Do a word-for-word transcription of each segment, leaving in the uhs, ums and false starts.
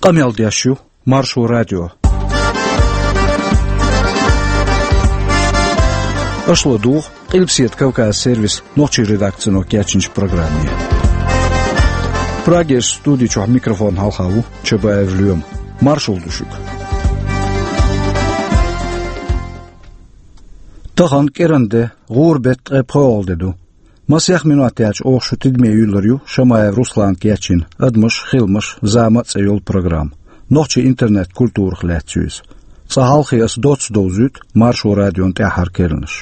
Къамел деш ю Маршо радио. Аша ладугӀу Къилбаседа Кавказан сервисан нохчийн редакцино кечйинчу программе. Прагерчу студи чохь микрофонна хьалха ву Чабаев Лоьма. Маршалла ду шуьга. Тахана кӀиранан де, гӀуран беттан ткъе пхоьалгӀа де ду. Масех минот яьлча оха шун тидаме юьйлур ю Шамаев Руслана кечйина «Адамаш, хиламаш, зама» цӀе йолу программа. Нохчийн интернет-культурах лаьцна ю иза. Цкъа хьалхе аса доцца довзуьйту Маршо радион тӀаьххьара керланаш.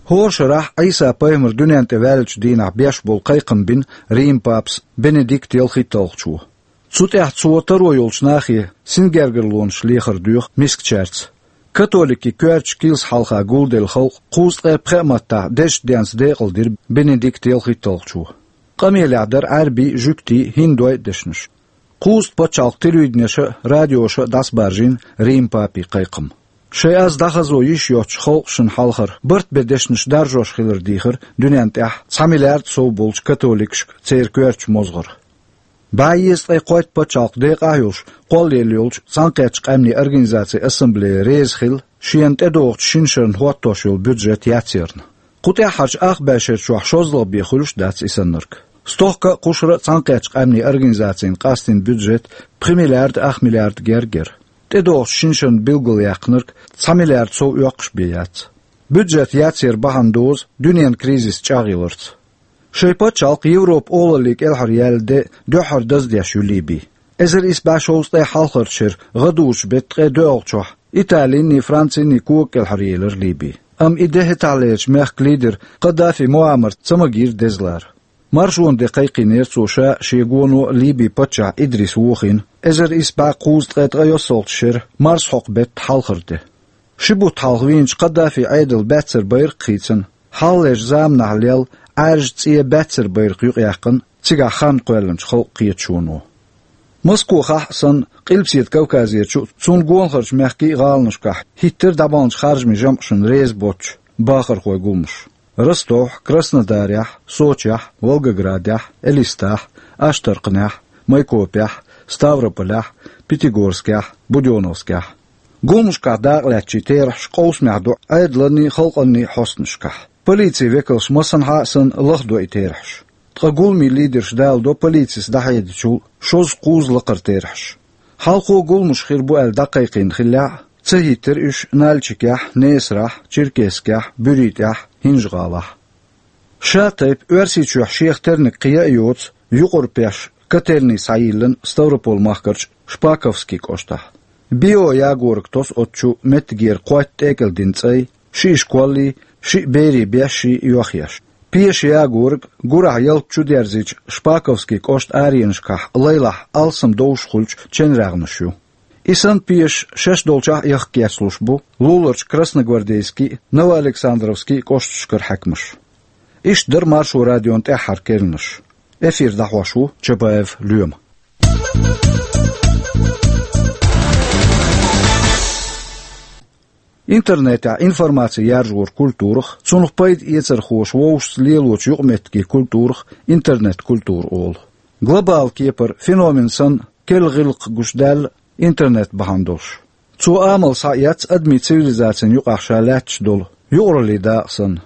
ХӀора шарахь Ӏийса-пайхамар дуьнен тӀе ваьллачу дийнахь беш болу кхайкхам бина Риман папас Бенедикт ялхитталгӀачо. Цу тӀехь цо таро йолчу нахе сингергарлонаш лехар доьху мискачаьрца. Католикийн коьртачу килсан хьалха гулделла халкъ кхузткъе пхеа маттахь дезачу денца декъалдира Бенедикт ялхитталгӀачо. Къамелехь дара Ӏаьрбийн, жуьгтийн, хӀиндойн дешнаш. Кхузткъа пачхьалкхан телевиденеша а, радиоша а дӀасабаржийна Риман папин кхайкхам. Шайн аз дӀахазо йиш йоцчу халкъашна хьалхара барт бен дешнаш даржош хилар дийхира дуьнен тӀехь цхьа миллиард сов болчу католикашка церан коьртачу мозгӀара. БӀе езткъе кхойтта пачхьалкх декъахь а йолуш, кхоллаелла йолчу Цхьаьнакхеттачу Къаьмнийн Организацин Ассамблея реза хилла шена тӀедогӀучу шина шарна хӀоттош йолу бюджет яцъярна. Кху тӀаьххьарчу ах бӀешерчохь шозлагӀа бен хуьлуш а дац и саннарг. Стохка а, кхушара а Цхьаьнакхеттачу Къаьмнийн Организацина къастийна бюджет пхи миллиард ах миллиард гергара. ТӀедогӀучу шина шарна билгалъяьккхинарг цхьа миллиард сов оьккхуш бен яц. Бюджет яцъяран бахьана дозу дуьненан кризис чӀагӀъяларца. Шайн пачхьалкх Европан олаллин кӀелхьара яьлла де дуьххьара даздеш ю Ливи. Эзар исс бӀе шовзткъе хьалхарчу шеран гӀадужу беттан ткъе доьалгӀачохь Италиний, Франциний кога кӀелхьара елира Ливи. Амма и де хӀетахьлерчу мехкан лидер Каддафи Муаммар ца магийра дезалара. Маршонан де кхайкхийнера цо ша а, шен гоно а Ливин паччахь Идрис вохийна, эзар исс бӀе кхузткъе ткъайоьсналгӀачу шеран марсхьокху беттан хьалхара де. Ши бутт хьалха вийначу Каддафин Ӏедалан баьццара байракх хийцина, хьалхалерчу заманахь лелла Ӏаьржа цӀен баьццара байракх юкъаяьккхина цигахь хан кхоьллинчу халкъан кхеташоно. Москохахь а санна, Къилбаседа Кавказерчу а, цунна гонахарчу мехкийн а гӀаланашкахь хӀиттира дӀабаханчу харжамийн жамӀашна реза боцчу бахархойн гуламаш. Ростовхь, Краснодарехь, Сочехь, Волгоградехь, Элистахь, Аштаркханехь, Майкопехь, Ставрополехь, Пятигорскехь, Будённовскехь. Гуламашкахь дакъалаьцначийн терахьаш къовсамехь ду Ӏедаланний, халкъанний хьостанашкахь. Полицин векалш массанхьа а санна лахдо и терахьаш. Ткъа гуламийн лидерша даладо полицис дӀахьедичул шозза-кхузза лакхара терахьаш. Хьалхо гуламаш хир бу аьлла дӀакхайкхийна хиллехь а, ца хӀиттира уьш Нальчикехь, Несарахь, Черкесскехь, БуьритӀехь, ХӀинжа-ГӀалахь. Ша тайпа Оьрсийчохь шех терниг кхин а йоцу юкъара пеш котельни схьайиллина Ставрополь-махкарчу Шпаковский кӀоштахь. Био ягорг тосу оцу чу меттигера кхойтта тӀекӀел дина цӀай, шиъ школий, шиъ берийн бешший йохъеш. Пеша ягорг гурахь ялта чу дерзийча Шпаковский кӀоштан аренашкахь лайлахь алсам довш хуьлучу ченрагӀнаш ю. И санна пешаш шаьш долчохь а яхка кечлуш бу луларчу Красногвардейский, Новоалександровский кӀошташкара хьаькамаш. Иштта дара Маршо радион тӀаьххьара керланаш. Эфир дӀахьош ву Чабаев Лоьма. Интернетехь информаци яржоран культурах, цунах пайда эцархоша вовшашца лелочу юкъаметтигийн культурах интернет-культура олу. Глобал кепара феномен санна керла гӀиллакх гучудаьлла интернет бахьана долуш. Цо амал схьаэцна адамийн цивилизацин юкъахь ша лаьтташ долу юкъараллин дакъа санна.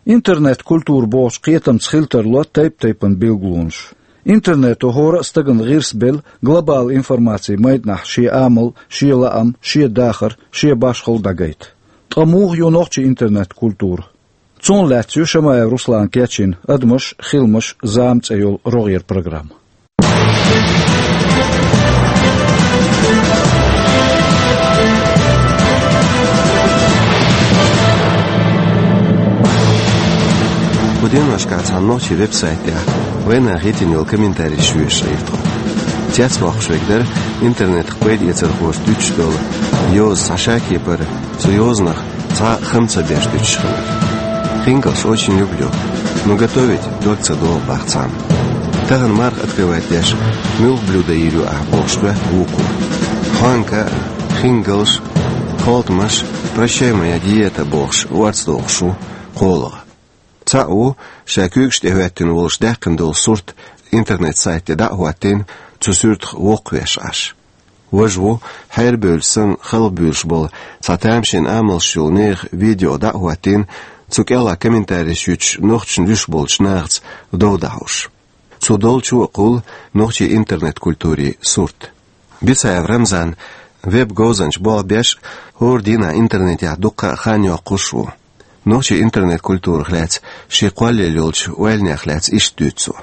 Интернет-культура бохучу кхетамца хила тарло тайп-тайпана билгалонаш. Интернето хӀора а стагана гӀирс белла глобал информацин майданахь шен амал, шен лаам, шен дахар, шен башхалла дӀагайта. Ткъа муха ю нохчийн интернет-культура? Цунах лаьцна ю Шамаев Руслана кечйина «Адамаш, хиламаш, зама» цӀе йолу рогӀера программа. Кху деношкахь цхьана нохчийн веб-сайтехь вайнах хӀиттина йолу комментарийш йоьшуш Ӏийра тхо. Цецбоккхуш верг дара интернетах пайда эцархоша дуьтуш долу йоза, цхьа ша кепара цу йозанах цхьа а хам ца беш дуьтуш хилар. «Хингалш очень люблю, но готовить дог ца догӀу», — боху цхьамма. Тахана марха открывать деш: «Муьлха блюдо йийр ю ахь?» — бохуш хоьтту вукхо. «Хьонка, хингалш, кхолтамаш, прощай, моя диета», — бохуш, орца дохуш ву кхоалгӀа. Цхьаъ ву, ша куьйгаш тӀе хӀоьттина волуш даьккхина долу сурт интернет-сайт тӀе дӀа а хӀоттийна, цу суьртах воккхавеш Ӏаш. Важа ву, хьерабевлла санна, халхабуьйлуш болу цхьа тамашийна амалш йолу нехан видео дӀа а хӀоттийна, цу кӀелахь комментареш юьтуш нохчашна луьйш болчу нахаца дов дӀахьош. Цо долчу а кхуллу нохчийн интернет-культурин сурт. Бицаев Рамзан веб-говзанча болх беш а, хӀора дийнахь интернетехь дуккха а хан йоккхуш а ву. Нохчийн интернет-культурах лаьцна шен кхоллаелла йолчу ойланех лаьцна иштта дуьйцу цо.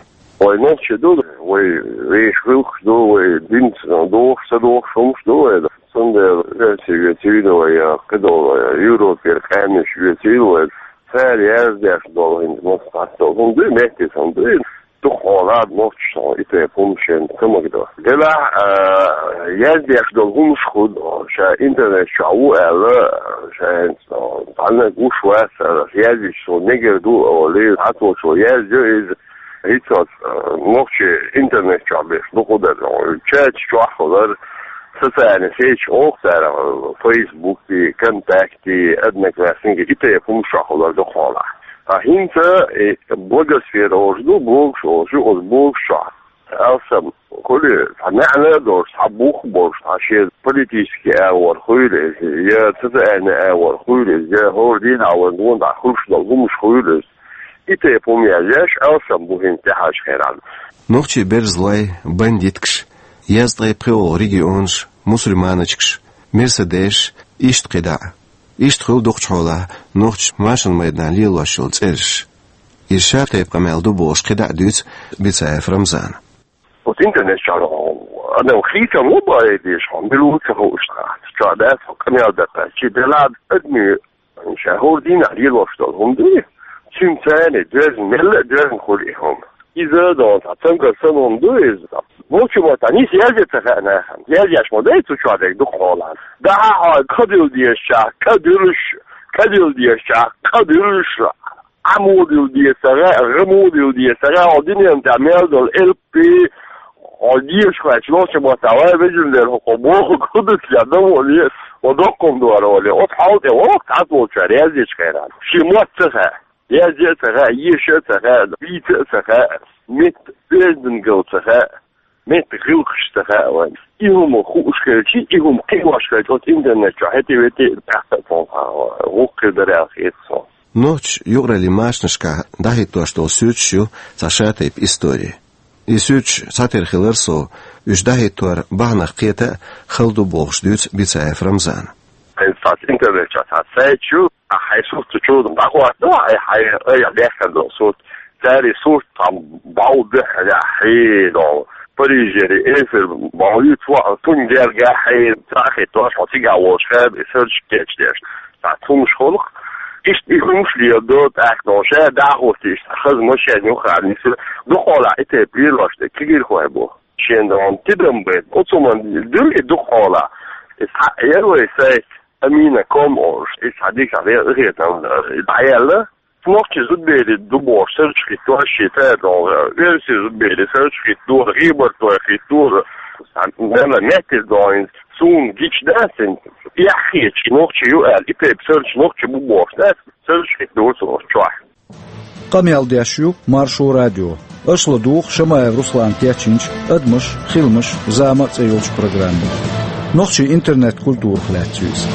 Вай нохчий ду, вай вешан гӀиллакхаш ду, вай динца дохуш, ца дохуш хӀумнаш ду вай. Цундела оьрсийн вецийла вай, я кхидолу Европера къаьмнаш вецийла вай. Цара яздеш долу хӀинца массо а долу хӀума дуй, меттиг хӀума дуй. Дукха хьолахь нохчаша и тайпа хӀума шен ца магадо. Делахь, а, яздеш долу хӀумнаш хӀун ду, ша интернет чохь ву аьлла, ша хӀинца цхьанна гуш вац, язйича цо мегар ду олий, цхьацца волчо яздо иза, хӀинца, а, нохчий интернет чохь беш дукха дара. Чаташ чохь хилар, социальный сеть оха цара, Фейсбуки, Контакти, Одноклассники, и тайпа хӀумнаш чохь хилар дукха хьолахь. Ткъа хӀинца, э, блогосфера олуш ду, блогаш олуш ю, оцу блогаш чохь алсам, хуьлий, цхьа маьӀна а долуш, цхьа бух а болуш, цхьа шен политический агӀор хуьлий иза, я социальный агӀор хуьлий иза, я хӀора дийнахь вайн гонахь хуьлуш долу хӀумнаш хуьлий иза. И тайпа хӀума язъеш, алсам бу хӀинца тӀаьхьарчу хенахь. Нохчийн берзалой, бандиткаш, езткъе пхоьалгӀа регионаш, мусульманочкаш, мерседесаш, иштта кхидӀа а. Иштта хуьлу дукхачу хьолахь нохчаша машин майданахь лелош йолу цӀераш. Иза шатайпа къамел ду бохуш кхидӀа а дуьйцу Бицаев Рамзана. Вот интернет чохь адам хийцам ло баийдеш хьо, мила ву ца хууш нах. Чохь дац хьо къамел даккха. Чи делахь адамийн ша хӀора дийнахь лелош долу хӀума дуй, цуьнан царна доьзна, мелла а доьзна хуьлу и хӀума. Иза дон цхьа цамгар санна хӀума ду иза. Вовчу ма цхьа нийса язъе ца хаьа нахана. Язъеш ма дай цу чохь дерг дукха хьолахь. Дахьа хьо кхадилла дезачохь, кадуьлуш, кадилла дезачохь, кхадуьлуш, Ӏамо дилла деза ца хаьа, гӀамо дилла деза ца хаьа, хьо дуьнен тӀехь мел долу элпий, хьо дезаш хӀоьттича, нохчийн маттахь, вай вежарий, хӀокхо бохург хӀун ду ца хаьа, дан вон е, хьо доккхам дора вале, оцу хьал тӀе воккху цхьацца волчара яздечу хенахь. Шен мотт ца хаьа, язъе а ца хаьа, еша а ца хаьа, вийца а ца хаьа, метта оьздангалла ца хаьа. Метта гӀиллакхаш ца хаьа вайн. И хӀума хууш хилча, и хӀума кхиош хилча, оцу интернет чохь хӀетте-ветте а тӀаккха а цунах гӀуллакх хир дара аьлла хета суна. Нохчаша юкъараллин машинашкахь дӀахӀиттош долу суьрташ ю цхьа шатайпа истори. И суьрташ цхьатерра хилар сов, уьш дӀахӀиттор бахьанах кхета а хала ду бохуш дуьйцу Бицаев Рамзана. Хьайн цхьацца интернет чохь цхьа сайт ю, ахь хьайн сурт цу чу дӀахӀотто, ахь хьайн айхьа бехкан долу сурт. Цара и сурт цхьа бӀов дуьххьара хьийдо. Парижера эфир бӀов ю, цо хьо цунна гергахь хьийда, цхьа а хӀиттош, хьо цигахь волуш хьан и сарча кечдеш. Цхьа цунаш хуьлу-кх. Иштта и хӀумаш леладо, тӀаккха ша дӀахӀотто, иштта хаза машен юххехь нисса. Дукха хьолахь и тайпа лелош дерг кегийрхой бу. Шен догӀун тидам бен. Оцу хӀуманна дуьллий дукха хьолахь. И цхьаъ яра вай сайт. Амина ком олуш, иза цхьа дика цхьа къахетам дӀаяьлла. Нохчийн зудбераш ду бохуш, сарчу хӀиттор шен цара догӀу, оьрсийн зудбераш сарчу хӀиттор, гӀийбартой хӀиттор, мела меттиг догӀу, суна гича дац, яххечу нохчи ю аьлла, и тайпа сарчу нохчи бу бохуш дац, сарчу хӀиттор цо чохь. Къамел деш ю Маршо радио. Аша ладугӀу Шамаев Руслана кечйинчу «Адамаш, хиламаш, зама» цӀе йолчу программе. Нохчийн интернет-культурах лаьцна ю иза.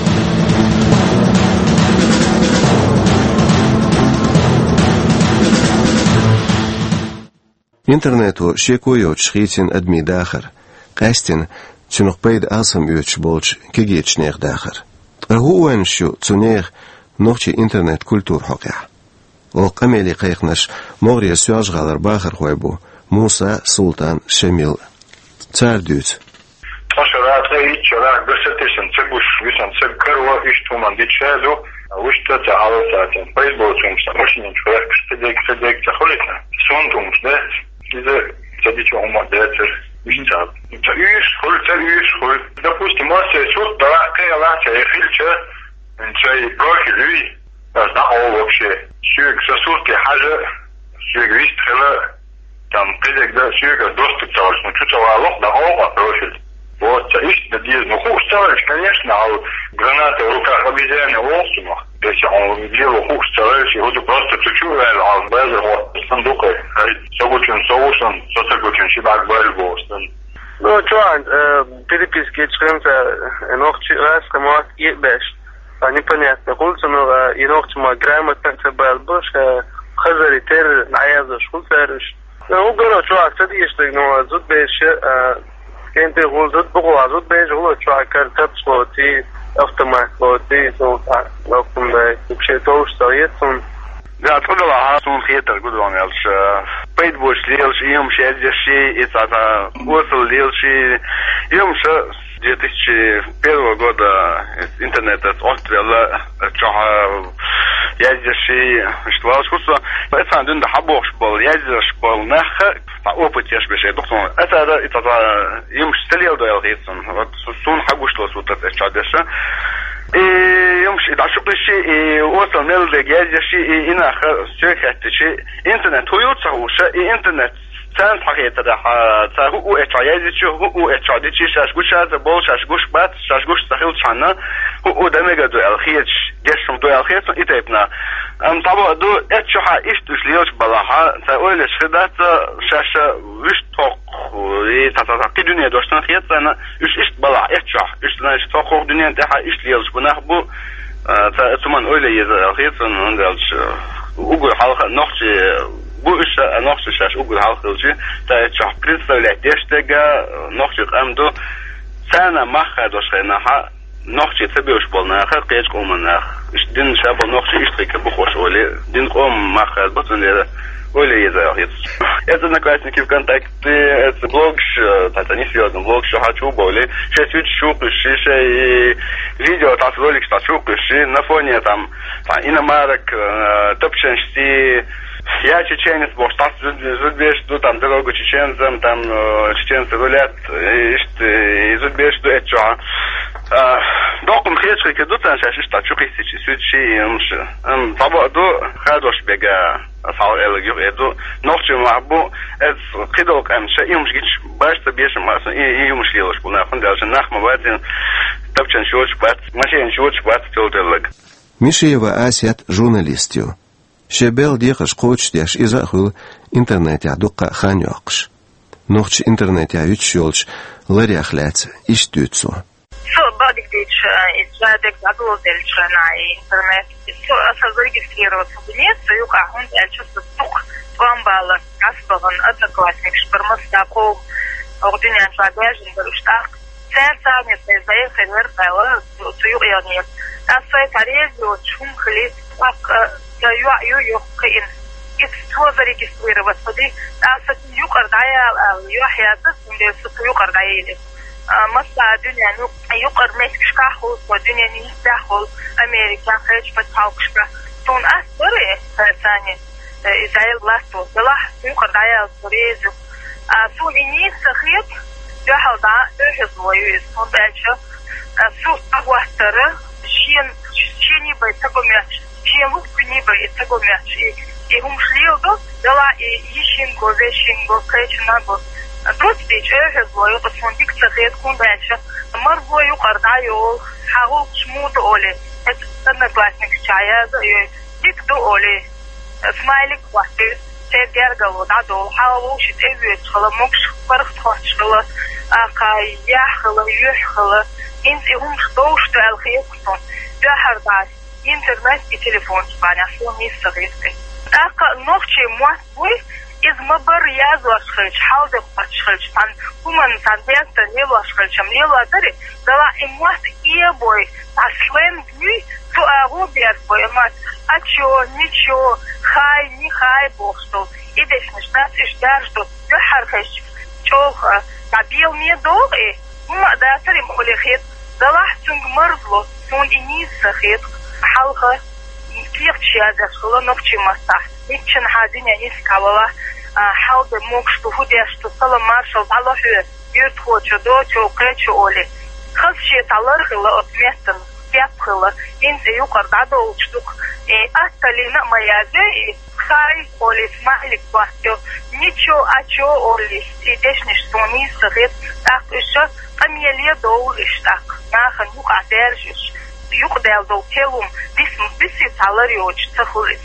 Интернето шеко йоцуш хийцина адамийн дахар, къаьсттина цунах пайда алсам оьцуш болчу кегийчу нехан дахар. Ткъа хӀун ойланаш ю цу нехан нохчийн интернет-культуран хьокъехь? Оха къамеле кхайкхинарш могӀарера Соьлжа-ГӀалара бахархой бу Муса, Султан, Шамил. Цара дуьйцу. Ткъа шарахь, ткъа итт шарахь, ган сатесна ца гуш, висна ца каро, иштта хӀуманна дича ша ду, вуьшта ца хьалсатен. Пайда боцу хӀумнаш, машинаш чу вехкаш, кхидерг, кхидерг ца хуьлийта. Сонта хӀумнаш дац, иза ца дича хӀума дацара, иштта ца. Ца уьйш хуьлу, ца уьйш хуьлу. Допустим, массеран сурт дала кхелахь, ца хилча, ца профиль юй. Ас дӀакъовла вообще. Соьга сан сурте хьажа, соьга вист хила, там, кхидерг дан, соьга доступ ца хилча, ну, чу ца валахь, дӀакъовла профиль. Вот, ца иштта дан деза. Ну, хууш ца хилча, конечно, ал граната в руках обезьяны олу цунах. Если хьуна дело хууш ца хилча, хӀу ду просто цу чу а ваьлла, ал базар хӀотта сан дукха. Ай, со гучун, со ву сан, со ца гучун, ши бӀарг баьлла боху сан. Ну, чё, э, переписки чхынца, э, нохчи раз, кому и беш. А непонятно, кулцу, ну, э, и нохчи ма грамотно ца бал буш, э, хазари тер, наязуш, кулцарыш. Ну, угоро чё, а садишты, ну, а зуд беш, э, кенты гул зуд, бугула зуд беш, гуло чё, а кар тапс лоти, автомат лоти, ну, а, ну, кундай, вообще, то, что есть, он. Да, откуда ла, а, сун хетер, гудван, ялш, э, пейт бош лелш, ием шездеши, и ца, ца, осел лелши, ием ша, две тысячи первого года интернет отвела, чё, э, ездишь и что, что, это дун да хабош был, ездишь был, нах, та опыт еш беши, доктор. Это да, это да, им стелил до ялхицун. Вот су-, сун хагушло сутат, это чё дальше. И им ши, да, шукриши, и осел мелдег ездишь и, и нах, всё хаттиши. Интернет хуются уша, и интернет центр хетера, ха, ца ху у эча язычу, ху у эча дичи, шаш гуша, за бол, шаш гуш бат, шаш гуш сахил чана, ху у дамега дуэл хеч, дешум дуэл хеч, и тайпна. Ам, того ду, эчо ха иштуш лелш балаха, ца ойлеш хидата, шаша виш ток, и та, та, та, ки дуния доштан хет, ца на, уш ишт бала, эчо, уш, значит, ток дуния, та ха ишт лелш бунах бу, э, ца, цуман ойле еза хет, он, он дальше. Угу, халха, нохчи, бу иша, а нохчи шаш угу халха лчи, та эчо представлять дештега, нохчи амду, цана маха дошхенаха, нохчи цебеуш болнаха, кеч команах. Иш дин шабо нохчи иштрика бухош оли, дин ком маха ботун лера, оли еза хет. Это Одноклассники, ВКонтакте, это блог, ш-, та, та, не серьёзно, блог, что хочу, боли. Сейчас YouTube, шиша и видео, та ролик, та чукыши, на фоне там, та, иномарок, э, топченшти, я чеченец, может, та зудбеш, ну, там, дорогу чеченцам, там, э, чеченцы рулят, и, ишт, и зудбеш, ну, это чё, а? А, докум хечки, ду там, сейчас, ишта, чукисичи, сючи, и, м, ш-, м, того, ду, хадош бега. Асал элэг юк эду. Нохчи махбу, эц кидолк ам ша, юмш гич баш та бешем масан, и, и юмш елош буна, фун дальше нахма бацин, тапчан шоч бац, машин шоч бац, тёл элэг. Мишиева Асет журналист ю. Шебел дехаш коч деш иза хул интернет я дукка хан йокш. Нохчи интернет я юч йолч ларях лац, иш дюцу. Со бадик дича, э, из жадек загло дельча на интернет. Со, а, со зарегистрироваться в нет, со юка хун дельча со тук, туамбала, асбаган, одноклассник, шпармас, таков, ординян, жадяжин, баруштак. Цен цанет, не заехал, вертала, со юк я нет. А со это резио, чум хлит, так, э, за ю, ю, ю, кин. И со зарегистрироваться, ди, а со юк ардая, а, ю, я, да, сумбе, со юк ардая или. А, масса дунья, ну, юкъар мехкшка хул, со дунья не истя хул, Америка, хеч паталкшка. Тун ас бери, сани, э, Израиль власть, дела, юкъар даял, резу. А, су и не сахет, я халда, тоже злою, и сун дальше. А, су агуастера, шен, шени бай, такой мяч. Чи лук куни ба и таго мяч и, и хум шлил до, дала и ишин го, вешин го, кайчина го. Дус дич, э, хез ло, ю, кус мун дик цахет кун дальше. Мар го ю, карда ю, хагул шмут оли. Это одноклассник чая, да, ю, дик ду оли. Смайлик хватит, те гергало, да, до, хагул шит, э, вет, хала, мокш, барх, тхоч, хала, а, кай, я, хала, ю, хала. Инс и хум што, што, эл, хе, кутон. Я, харда. Интернет и телефон спаня, сон не советы. Так, ногчи муас буй, из мабар язлашхыч, халдык пачхыч, тан хуман, тан бертан лелашхыч, ам леладари, дала и муас и бой, аслен буй, ту агу берт бой, мат, а чё, ничего, хай, не хай, бог что, и десь наш нас иш даржду, ю хархыч, чёха, а бил не дол и, ма датари молехет, дала цунг мырзло, сон и не сахет, халха, Киев чиязеш хала ногчи масса. Ниччан хадиня нискавала, а, халда мокш ту худеш ту сала маршал дала хю, юрт хочо до чо кечо оли. Хас ше талар хала от местан, кеп хала, инсе юкар дадо учтук. И асталина маязе, и хай оли смайлик бастё. Ничо, а чо оли, и дешниш сони сахет, так ещё камелия дол иштак. Нахан юка держиш. Юкъ дел дол телум, бис, бис и талар ёч, цахулис.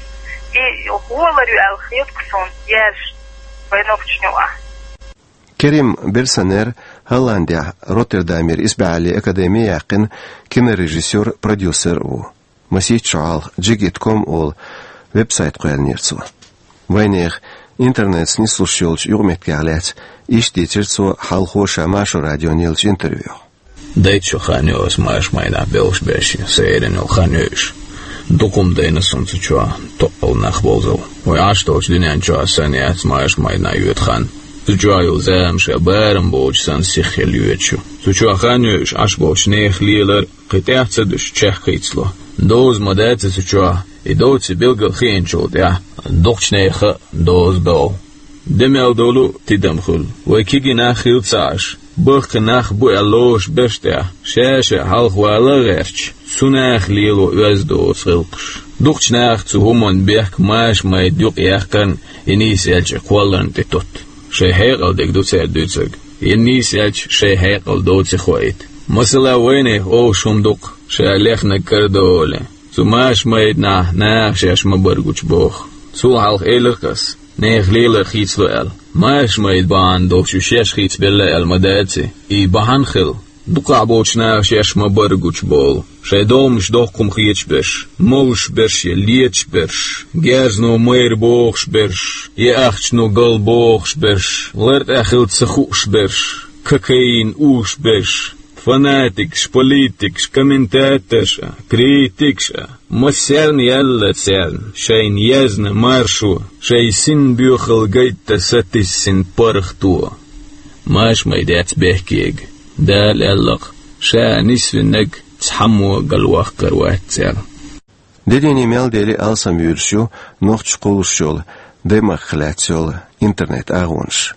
И хуалар ю эл хет ксон, ерш, вайнокчню а. Керим Берсанер, Голландехь Роттердамера исбаьхьаллин академи яьккхина кинорежиссёр, продюсер а ву. Масийтта шо хьалха Джигит ком олу веб-сайт кхоьллинера цо. Вайнехан интернетца нислуш йолчу юкъаметтигех лаьцна иштта дийцира цо хьалхо ша Маршо радиона еллачу интервьюхь. Дайтта шо хан ю аса Маршмайнахь белхаш беш, сан эрна йолу хан ю уьш. Дукха хӀума дайна суна цу чохь, токкъал нах бовзал. Вай Ӏаш долчу дуьнен чохь санна яц Маршмайнахь йоьду хан. Цу чохь йолу зама ша барам боцуш санна сихха йоьдуш ю. Цу чохь хан ю уьш Ӏаш болчу нехан лелар, кхин тӀаьхьа ца дуьсуш чехка хийцало. Доза ма дац цу чохь, и доций билггал хиъначул тӀаьхьа дукхачу нехан а доза догӀу. Де мел долу тидам хуьлу. Вай кегий нах хила ца Ӏаш, бахкхий нах бу аьлла лоруш берш тӀехь, ша-ша хьалха вала а гӀерташ, цу наха лело оьзда доцу гӀиллакхаш. Дукхачу наха цу хӀуманна бехк Маршмайда юкъаяьккхарна, и нийса аьлча кхолларна тӀе тутту. Шайн хьекъал дерг ду цара дуьйцург. И нийса аьлча шайн хьекъал доций хоуьйту. Масала, вайнехан олуш хӀума ду-кх, ша лехнарг кара ду олий. Цу Маршмайданахь наха шаьш ма-барра гучубоху. Цул хьалха элира-кх ас, нехан лелар хийцало аьлла. Маршмайда бахьана долуш уьш шаьш хийцабелла аьлла ма даций. И бахьана хила. Дукхахь болчу наха шаьш ма-барра гучуболу. Шайн догӀмаш дохко хӀума хеташ берш, молуш берш я леташ берш, герзано майра бохуш берш, я ахчано гал бохуш берш, лар тӀехь хила ца хууш берш, кокаин уьш берш, фанатикаш, политикаш, комментаторш а, критикаш а, массарна яьлла царна шайна язна маршо, шайн син боьхалла гайтта сатиссина паргӀато. Маршмайда яц бехкега. Дала аьлла-кх, ша нисвинарг цхьаммо а галваккхар вац цара. Де дийне мел дели алсам вуьйлуш ю нохчаша кхуллуш йолу даймахках лаьцна йолу интернет-агӀонаш.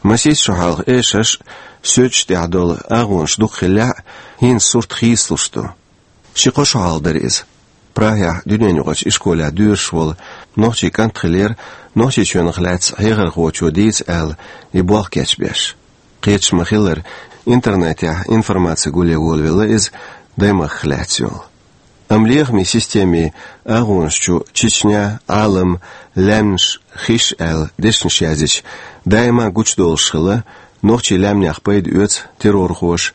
Масийтта шо хьалха эшарш а, суьрташ тӀехь долу агӀонаш дукха хиллехь а, хӀинца сурт хийцалуш ду. Ши-кхо шо хьалха дара иза. Прагехь дуьненаюкъарчу ишколехь доьшуш волу нохчийн кӀант хиллера Нохчийчоьнах лаьцна хьехархочо дийца аьлла и болх кечбеш. Кхеташ ма-хиллара, интернетехь информаци гулъян волавелла иза даймахках лаьцна йолу. Амма лехамийн системин агӀонаш чу Чечня, Ӏалам, лаьмнаш, хиш аьлла дешнаш яздича, даима гучудолуш хилла, нохчийн лаьмнех пайда оьцу террорхоша,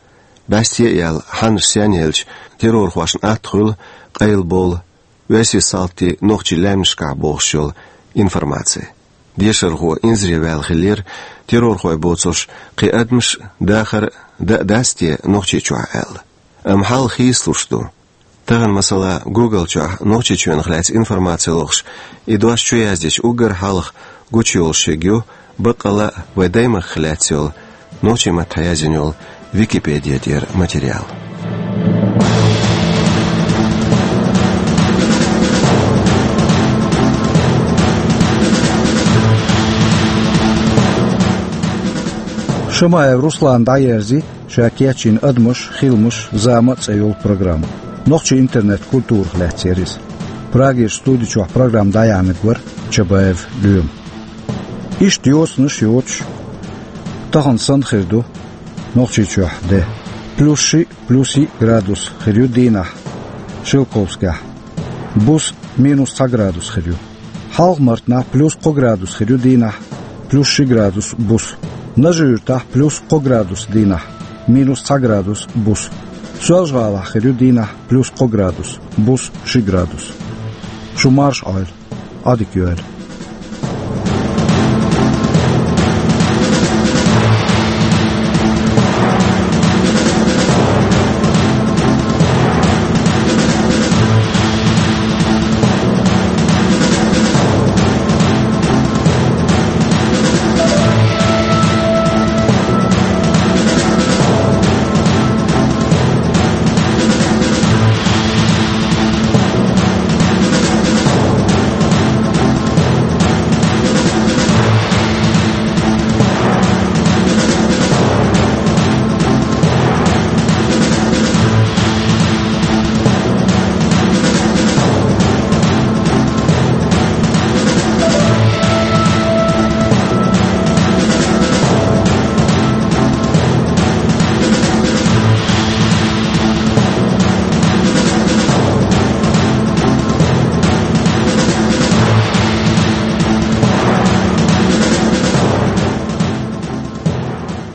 бӀаьсте а яьлла, хьаннаш сенъелча, террорхошна атта хуьлу къайлабовла оьрсийн салтийн нохчийн лаьмнашкахь бохуш йолу информаци. Дешархо инзаре ваьлла хиллера, террорхой боцурш кхин адамаш а, дахар а даа дац те Нохчийчохь аьлла. Амма хьал хийцалуш ду. Тахана, масала, Google чохь Нохчийчоьнах лаьцна информаци лохуш, и дош чу яздича, уггар хьалха гучуйолуш ерг ю, баккъалла а, вайн даймахках лаьцна йолу нохчийн маттахь яздина йолу Википеди тӀера материал. Шамаев Руслана дӀаерзи ша кечйина «Адамаш, хиламаш, зама» цӀе йолу программа. Нохчийн интернет-культурах лаьцна яра иза. Прагерчу студи чохь программа дӀаяьхьнарг вара Чабаев Лоьма. Иштта йоцанаш йоцуш, тахана санна хир ду Нохчийчохь де. Плюс шиъ, плюс йиъ градус хир ю дийнахь Шелковскехь. Буса минус цхьа градус хир ю. Хьалха-Мартанахь плюс кхо градус хир ю дийнахь, плюс ши градус буса. Нажи-Юьртахь плюс кхо градус дийнахь, минус цхьа градус буса. Соьлжа-ГӀалахь хир ю дийнахь плюс кхо градус, буса ши градус. Шу марша Ӏойла, Ӏадика йойла.